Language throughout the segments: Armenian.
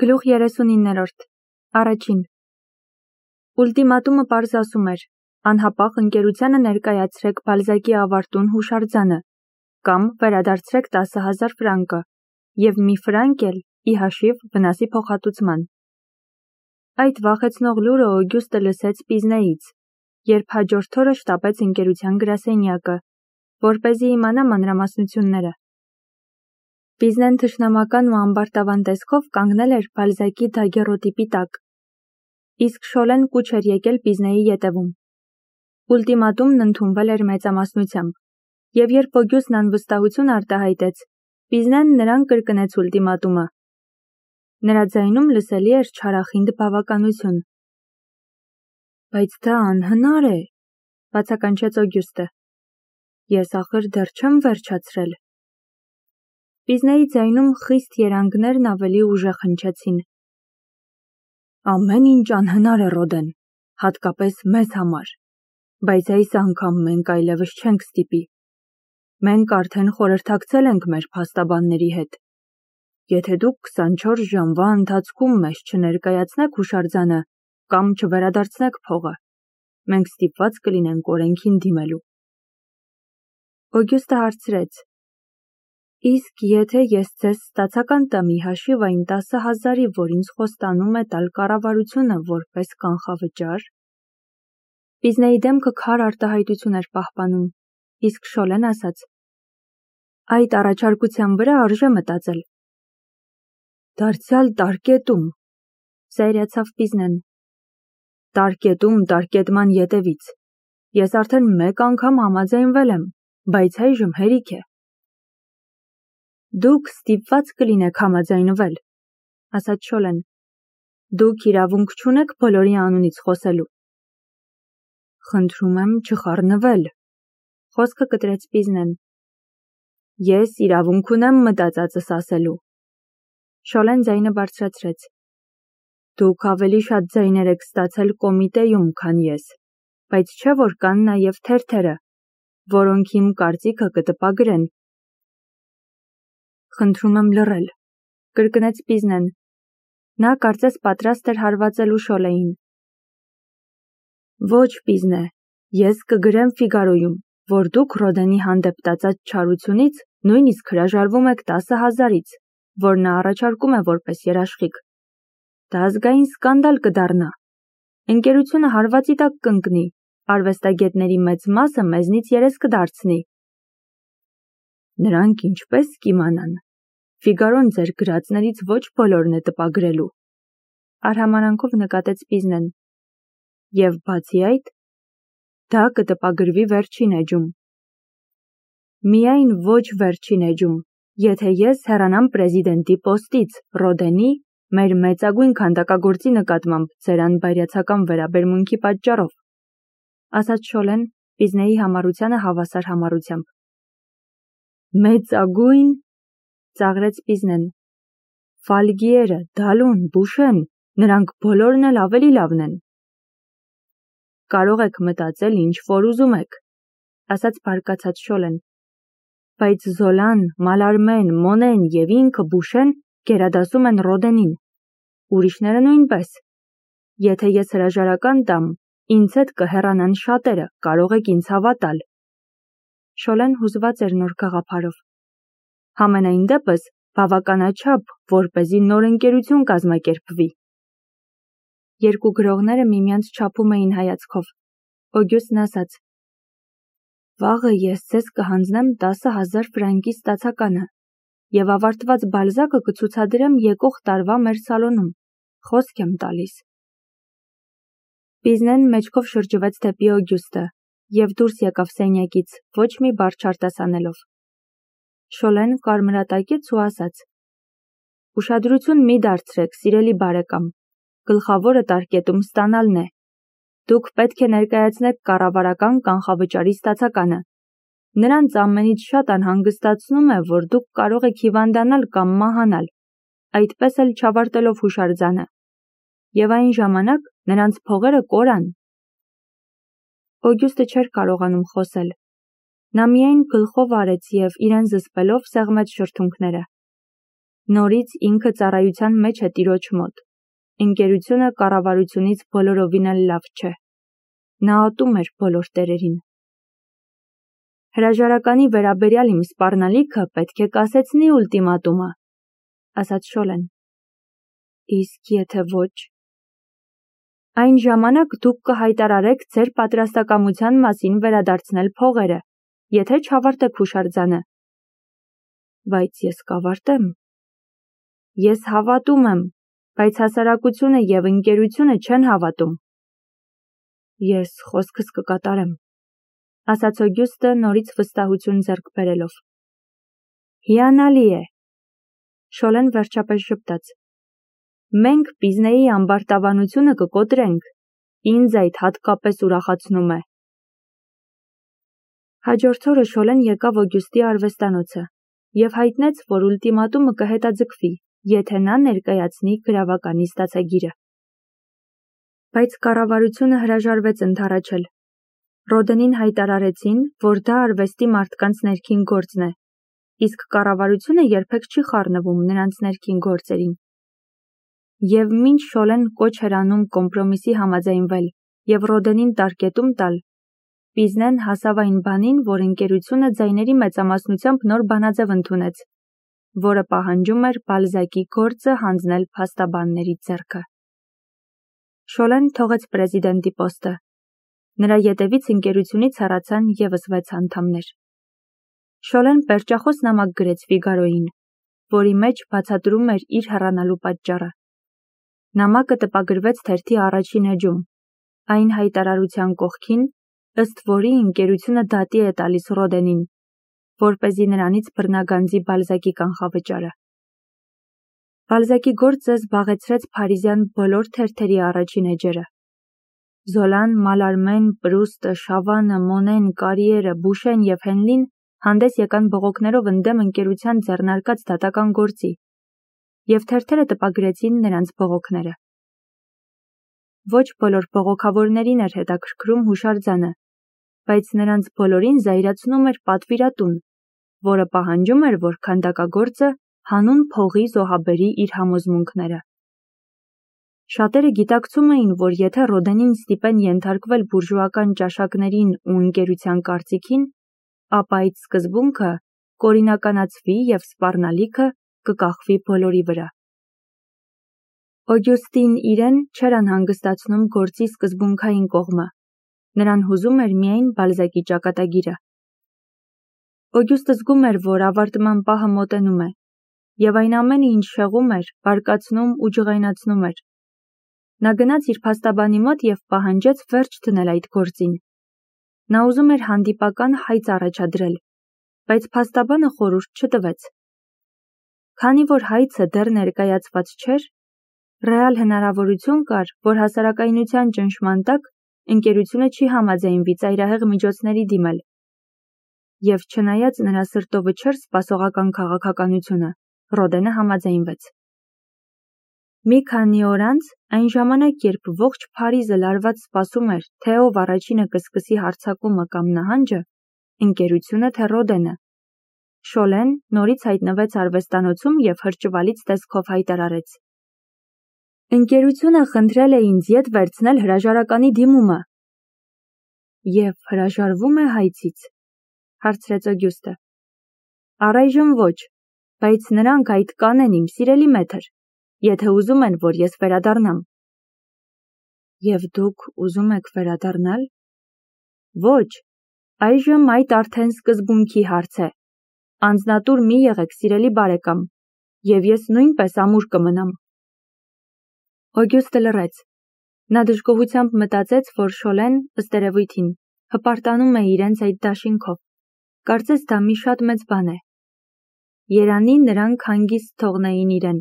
Գլուխ 39-րդ Առաջին Ուլտիմատումը պարզ ասում էր. անհապաղ ընկերությանը ներկայացրեք Բալզակի ավարտուն հուշարձանը կամ վերադարձրեք 10,000 ֆրանկը և մի ֆրանկ էլ ի հաշիվ վնասի փոխհատուցման։ Այդ վախեցնող լուրը Օգյուստը լսեց Պիզնեից, երբ հաջորդ օրը շտապեց ընկերության գրասենյակը, որպեսզի իմանա մանրամասնությունները։ Պիզնեն թշնամական ու ամբարտավան տեսքով կանգնել էր Բալզակի դագերոտիպի տակ, իսկ Շոլեն կուչ էր եկել Պիզնեի ետևում։ Ուլտիմատումն ընդունվել էր մեծամասնությամբ, և երբ Օգյուստն անվստահություն արտահայտեց, Պիզնեն նրան կրկնեց ուլտիմատումը։ Նրա ձայնում լսելի էր չարախինդ բավականություն։ Բայց դա անհնար է, բացականչեց Օգյուստը։ Ես ախր դեռ չեմ վերջացրել։ Պիզնեի ձայնում խիստ երանգներն ավելի ուժեղ հնչեցին։ Ամեն ինչ անհնար է, Ռոդեն, հատկապես մեզ համար, բայց այս անգամ մենք այլևս չենք ստիպի։ Մենք արդեն խորհրդակցել ենք մեր փաստաբանների հետ։ Եթե դուք 24 ժամվա ընթացքում մեզ չներկայացնեք հուշարձանը կամ չվերադարձնեք փողը, մենք ստիպված կլինենք օրենքին դիմելու։ Օգյուստը հարցրեց. Իսկ եթե ես ձեզ ստացական տամ ի հաշիվ այն 10,000-ի, որ ինձ խոստանում է տալ կառավարությունը որպես կանխավճար։ Պիզնեի դեմքը քար արտահայտություն էր պահպանում, իսկ Շոլեն ասաց. Այդ առաջարկության վրա արժե մտածել։ Դարձյալ տարկետում, զայրացավ Պիզնեն։ Տարկետման ետևից։ Ես արդեն մեկ անգամ համաձայնվել եմ, բայց այժմ հերիք է։ Դուք ստիպված կլինեք համաձայնվել, ասաց Շոլեն։ Դուք իրավունք չունեք բոլորի անունից խոսելու։ Խնդրում եմ չխառնվել, խոսքը կտրեց Պիզնեն։ Ես իրավունք ունեմ մտածածս ասելու։ Շոլեն ձայնը բարձրացրեց։ Դուք ավելի շատ ձայներ եք ստացել կոմիտեում, քան ես, բայց չէ որ կան նաև թերթերը, որոնք իմ կարծիքը կտպագրեն։ Խնդրում եմ լռել, կրկնեց Պիզնեն։ Նա կարծես պատրաստ էր հարվածելու Շոլեին։ Ոչ, Պիզնե, ես կգրեմ Ֆիգարոյում, որ դուք Ռոդենի հանդեպ տածած չարությունից նույնիսկ հրաժարվում եք 10,000-ից, որ նա առաջարկում է որպես երաշխիք։ Դա ազգային սկանդալ կդառնա։ Ընկերությունը հարվածի տակ կընկնի, արվեստագետների մեծ մասը մեզնից երես կդարձնի։ Նրանք ինչպես կիմանան։ Ֆիգարոն ձեր գրածներից ոչ բոլորն է տպագրելու։ Արհամարանքով նկատեց Պիզնեն։ Եվ բացի այդ, դա կտպագրվի վերջին էջում։ Միայն ոչ վերջին էջում, եթե ես հեռանամ պրեզիդենտի պոստից, Ռոդենի, մեր մեծագույն քանդակագործի նկատմամբ ձեր անբայրացական վերաբերմունքի պատճառով, ասաց Շոլեն Պիզնեի համառությանը հավասար համառությամբ։ Մեծագույն, ծաղրեց Պիզնեն։ Ֆալգիերը, Դալուն, Բուշեն, նրանք բոլորն էլ ավելի լավն են։ Կարող եք մտածել ինչ որ ուզում եք, ասաց բարկացած Շոլեն։ Բայց Զոլան, Մալարմեն, Մոնեն և ինքը Բուշեն գերադասում են Ռոդենին։ Ուրիշները նույնպես։ Եթե ես հրաժարական տամ, ինձ հետ կհեռանան շատերը, կարող եք ինձ հավատալ։ Շոլեն հուզված էր նոր գաղափարով։ Համենայն դեպս բավականաչափ, որպեսզի նոր ընկերություն կազմակերպվի։ Երկու գրողները միմյանց չափում էին հայացքով։ Օգյուստն ասաց. Վաղը ես ձեզ կհանձնեմ 10,000 ֆրանկի ստացականը և ավարտված Բալզակը կցուցադրեմ եկող տարվա մեր սալոնում, խոսք եմ տալիս։ Պիզնեն մեջքով շրջվեց դեպի Օգյուստը և դուրս եկավ սենյակից, ոչ մի բառ չարտասանելով։ Շոլեն կարմրատակեց ու ասաց. Ուշադրություն մի դարձրեք, սիրելի բարեկամ, գլխավորը տարկետում ստանալն է։ Դուք պետք է ներկայացնեք կառավարական կանխավճարի ստացականը։ Նրանց ամենից շատ անհանգստացնում է, որ դուք կարող եք հիվանդանալ կամ մահանալ, այդպես էլ չավարտելով հուշարձանը։ Եվ այն ժամանակ նրանց փողերը կորան։ Օգյուստը չէր կարողանում խոսել։ Նա միայն գլխով արեց և իրեն զսպելով սեղմեց շրթունքները։ Նորից ինքը ծառայության մեջ է տիրոջ մոտ։ Ընկերությունը կառավարությունից բոլորովին էլ լավ չէ։ Նա ատում էր բոլոր տերերին։ Հրաժարականի վերաբերյալ իմ սպառնալիքը պետք է կասեցնի ուլտիմատումը, ասաց Շոլեն։ Իսկ եթե ոչ։ Այն ժամանակ դուք կհայտարարեք ձեր պատրաստակամության մասին վերադարձնել փողերը, եթե չավարտեք հուշարձանը։ Բայց ես կավարտեմ։ Ես հավատում եմ, բայց հասարակությունը և ընկերությունը չեն հավատում։ Ես խոսքս կկատարեմ, ասաց Օգյուստը նորից վստահություն ձեռք բերելով։ Հիանալի է։ Շոլեն վերջապես ժպտաց։ Մենք Պիզնեի ամբարտավանությունը կկոտրենք, ինձ այդ հատկապես ուրախացնում է։ Հաջորդ օրը Շոլեն եկավ Օգյուստի արվեստանոցը և հայտնեց, որ ուլտիմատումը կհետաձգվի, եթե նա ներկայացնի գրավականի ստացագիրը։ Բայց կառավարությունը հրաժարվեց ընդառաջել։ Ռոդենին հայտարարեցին, որ դա արվեստի մարդկանց ներքին գործն է, իսկ կառավարությունը երբեք չի խառնվում նրանց ներքին գործերին։ Եվ մինչ Շոլեն կոչ էր անում կոմպրոմիսի համաձայնվել և Ռոդենին տարկետում տալ, Պիզնեն հասավ այն բանին, որ ընկերությունը ձայների մեծամասնությամբ նոր բանաձև ընդունեց, որը պահանջում էր Բալզակի գործը հանձնել փաստաբանների ձեռքը։ Շոլեն թողեց պրեզիդենտի պոստը։ Նրա ետևից ընկերությունից հեռացան ևս 6 անդամներ։ Շոլեն պերճախոս նամակ գրեց Ֆիգարոյին, որի մեջ բացատրում էր իր հեռանալու պատճառը։ Նամակը տպագրվեց թերթի առաջին էջում, այն հայտարարության կողքին, ըստ որի ընկերությունը դատի է տալիս Ռոդենին, որպեսզի նրանից բռնագանձի Բալզակի կանխավճարը։ Բալզակի գործը զբաղեցրեց փարիզյան բոլոր թերթերի առաջին էջերը։ Զոլան, Մալարմեն, Պրուստը, Շավանը, Մոնեն, Կարիերը, Բուշեն և Հենլին հանդես եկան բողոքներով ընդդեմ ընկերության ձեռնարկած դատական գործի, և թերթերը տպագրեցին նրանց բողոքները։ Ոչ բոլոր բողոքավորներին էր հետաքրքրում հուշարձանը, բայց նրանց բոլորին զայրացնում էր պատվիրատուն, որը պահանջում էր, որ քանդակագործը հանուն փողի զոհաբերի իր համոզմունքները։ Շատերը գիտակցում էին, որ եթե Ռոդենին ստիպեն ենթարկվել բուրժուական ճաշակներին ու ընկերության կարծիքին, ապա այդ սկզբունքը կօրինականացվի և սպառնալիքը կկախվի բոլորի վրա։ Օգյուստին իրեն չէր անհանգստացնում գործի սկզբունքային կողմը, նրան հուզում էր միայն Բալզակի ճակատագիրը։ Օգյուստը զգում էր, որ ավարտման պահը մոտենում է, և այն ամենը, ինչ շեղում էր, բարկացնում ու ջղայնացնում էր։ Նա գնաց իր փաստաբանի մոտ և պահանջեց վերջ դնել այդ գործին։ Նա ուզում էր հանդիպական հայց առաջադրել, բայց փաստաբանը խորհուրդ չտվեց։ Քանի որ հայցը դեռ ներկայացված չէր, ռեալ հնարավորություն կար, որ հասարակայնության ճնշման տակ ընկերությունը չի համաձայնվի ծայրահեղ միջոցների դիմել։ Եվ չնայած նրա սրտովը չէր սպասողական քաղաքականությունը, Ռոդենը համաձայնվեց։ Մի քանի օր անց, այն ժամանակ, երբ ողջ Փարիզը լարված սպասում էր, թե ով առաջինը կսկսի հարձակումը կամ նահանջը, ընկերությունը թե Ռոդենը, Շոլեն նորից հայտնվեց արվեստանոցում և հրճվալից տեսքով հայտարարեց. Ընկերությունը խնդրել է ինձ ետ վերցնել հրաժարականի դիմումը։ Եվ հրաժարվում է հայցից, հարցրեց Օգյուստը։ Առայժմ ոչ, բայց նրանք այդ կանեն իմ սիրելի մեթր, եթե ուզում են, որ ես վերադառնամ։ Եվ դուք ուզում եք վերադառնալ։ Ոչ, այժմ այդ արդեն սկզբունքի հարց է։ Անձնատուր մի եղեք, սիրելի բարեկամ, և ես նույնպես ամուր կմնամ։ Օգյուստը լռեց։ Նա դժգոհությամբ մտածեց, որ Շոլեն, ըստ երևույթին, հպարտանում է իրենց այդ դաշինքով։ Կարծես դա մի շատ մեծ բան է։ Երանի նրանք հանգիստ թողնեին իրեն։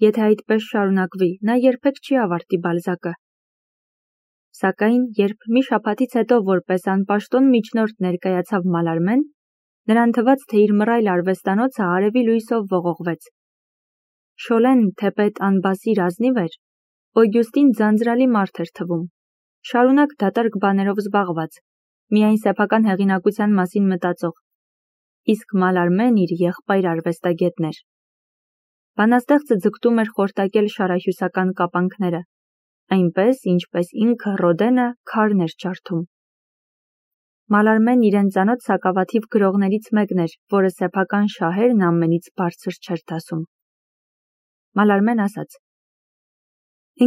Եթե այդպես շարունակվի, նա երբեք չի ավարտի Բալզակը։ Սակայն, երբ մի շաբաթից հետո որպես անպաշտոն միջնորդ ներկայացավ Մալարմեն, նրան թվաց, թե իր մռայլ արվեստանոցը արևի լույսով ողողվեց։ Շոլեն, թեպետ անբասիր ազնիվ էր, Օգյուստին ձանձրալի մարդ էր թվում, շարունակ դատարկ բաներով զբաղված, միայն սեփական հեղինակության մասին մտածող, իսկ Մալարմեն իր եղբայր արվեստագետն էր։ Բանաստեղծը ձգտում էր խորտակել շարահյուսական կապանքները, այնպես, ինչպես ինքը Ռոդենը քարն էր ջարդում։ Մալարմեն իրեն ծանոթ սակավաթիվ գրողներից մեկն էր, որը սեփական շահերն ամենից բարձր չէր դասում։ Մալարմեն ասաց.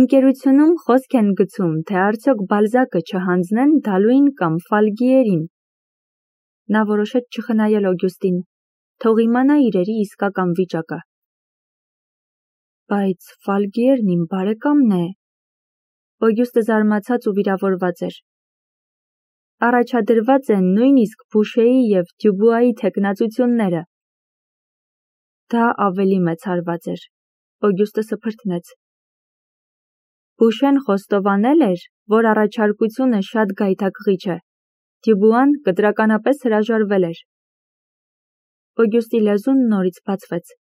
Ընկերությունում խոսք են գցում, թե արդյոք Բալզակը չհանձնեն Դալուին կամ Ֆալգիերին։ Նա որոշեց չխնայել Օգյուստին, թող իմանա իրերի իսկական վիճակը։ Բայց Ֆալգիերն իմ բարեկամն է։ Օգյուստը զարմացած ու վիրավորված էր։ Առաջադրված են նույնիսկ Բուշեի և Դյուբուայի թեկնածությունները։ Դա ավելի մեծ հարված էր։ Օգյուստը սփրթնեց։ Բուշեն խոստովանել էր, որ առաջարկությունը շատ գայթակղիչ է։ Դյուբուան կտրականապես հրաժարվել էր։ Օգյուստի լեզուն նորից բացվեց։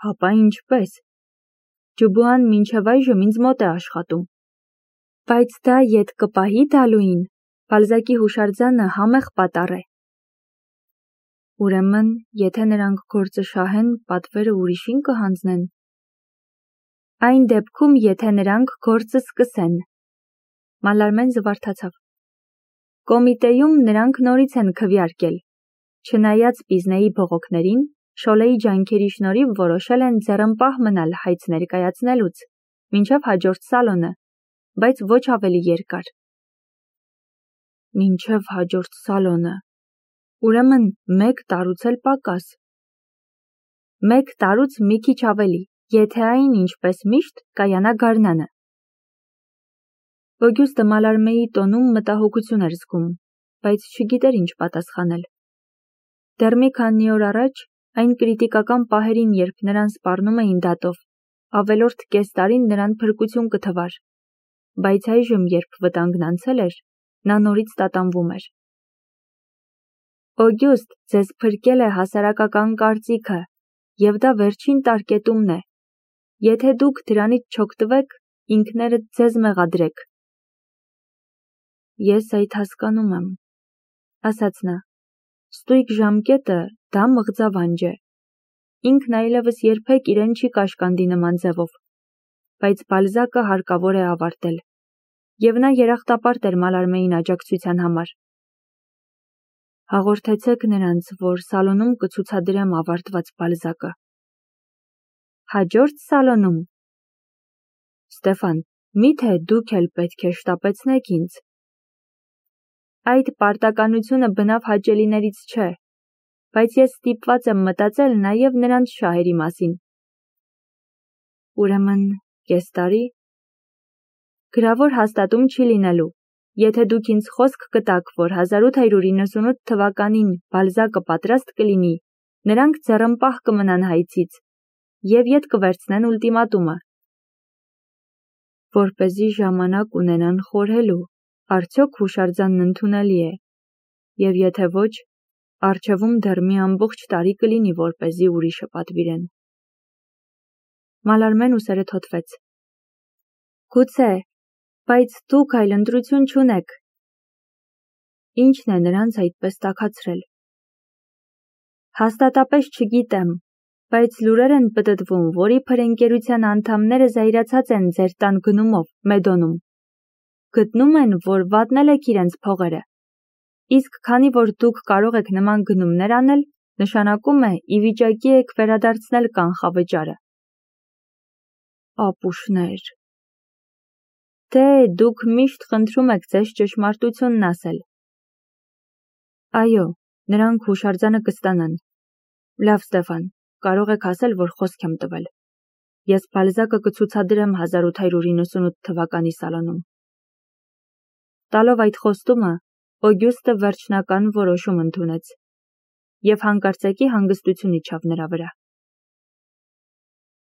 Հապա ինչպես։ Դյուբուան մինչև այժմ ինձ մոտ է աշխատում։ Բայց դա ետ կպահի Դալուին։ Բալզակի հուշարձանը համեղ պատառ է։ Ուրեմն, եթե նրանք գործը շահեն, պատվերը ուրիշին կհանձնեն։ Այն դեպքում, եթե նրանք գործը սկսեն։ Մալարմեն զվարթացավ։ Կոմիտեում նրանք նորից են քվեարկել։ Չնայած Պիզնեի բողոքներին, Շոլեի ջանքերի շնորհիվ որոշել են ձեռնպահ մնալ հայց ներկայացնելուց, մինչև հաջորդ սալոնը, բայց ոչ ավելի երկար։ Մինչև հաջորդ սալոնը։ Ուրեմն մեկ տարուց էլ պակաս։ Մեկ տարուց մի քիչ ավելի, եթե այն, ինչպես միշտ, կայանա գարնանը։ Օգյուստը Մալարմեի տոնում մտահոգություն էր զգում, բայց չգիտեր ինչ պատասխանել։ Դեռ մի քանի օր առաջ, այն կրիտիկական պահերին, երբ նրան սպառնում էին դատով, ավելորդ կես տարին նրան փրկություն կթվար, բայց այժմ, երբ վտանգն անցել էր, նա նորից տատանվում էր։ Օգյուստ, ձեզ փրկել է հասարակական կարծիքը, և դա վերջին տարկետումն է։ Եթե դուք դրանից չօգտվեք, ինքներդ ձեզ մեղադրեք։ Ես այդ հասկանում եմ, ասաց նա։ Ստույգ ժամկետը դա մղձավանջ է։ Ինքն այլևս երբեք իրեն չի կաշկանդի նման ձևով, բայց Բալզակը հարկավոր է ավարտել, և նա երախտապարտ էր Մալարմեին աջակցության համար։ Հաղորդեցեք նրանց, որ սալոնում կցուցադրեմ ավարտված Բալզակը։ Հաջորդ սալոնում։ Ստեֆան, միթե դուք էլ պետք է շտապեցնեք ինձ։ Այդ պարտականությունը բնավ հաճելիներից չէ, բայց ես ստիպված եմ մտածել նաև նրանց շահերի մասին։ Ուրեմն, կես տարի։ Գրավոր հաստատում չի լինելու։ Եթե դուք ինձ խոսք կտաք, որ 1898 թվականին Բալզակը պատրաստ կլինի, նրանք ձեռնպահ կմնան հայցից և ետ կվերցնեն ուլտիմատումը։ Որպեսզի ժամանակ ունենան խորհելու, արդյոք հուշարձանն ընդունելի է, և եթե ոչ, առջևում դեռ մի ամբողջ տարի կլինի, որպեսզի ուրիշը պատվիրեն։ Մալարմեն ուսերը թոթվեց։ Գուցե, բայց դուք այլ ընտրություն չունեք։ Ինչն է նրանց այդպես տաքացրել։ Հաստատապես չգիտեմ, բայց լուրեր են պտտվում, որ իբր ընկերության անդամները զայրացած են ձեր տան գնումով, Մեդոնում։ Գտնում են, որ վատնել եք իրենց փողերը։ Իսկ քանի որ դուք կարող եք նման գնումներ անել, նշանակում է, ի վիճակի եք վերադարձնել կանխավճարը։ Ապուշներ։ Դե, դուք միշտ խնդրում եք ձեզ ճշմարտությունն ասել։ Այո, նրանք հուշարձանը կստանան։ Լավ, Ստեֆան, կարող եք ասել, որ խոսք եմ տվել։ Ես Բալզակը կցուցադրեմ 1898 թվականի սալոնում։ Տալով այդ խոստումը, Օգյուստը վերջնական որոշում ընդունեց, և հանկարծակի հանգստություն իջավ նրա վրա։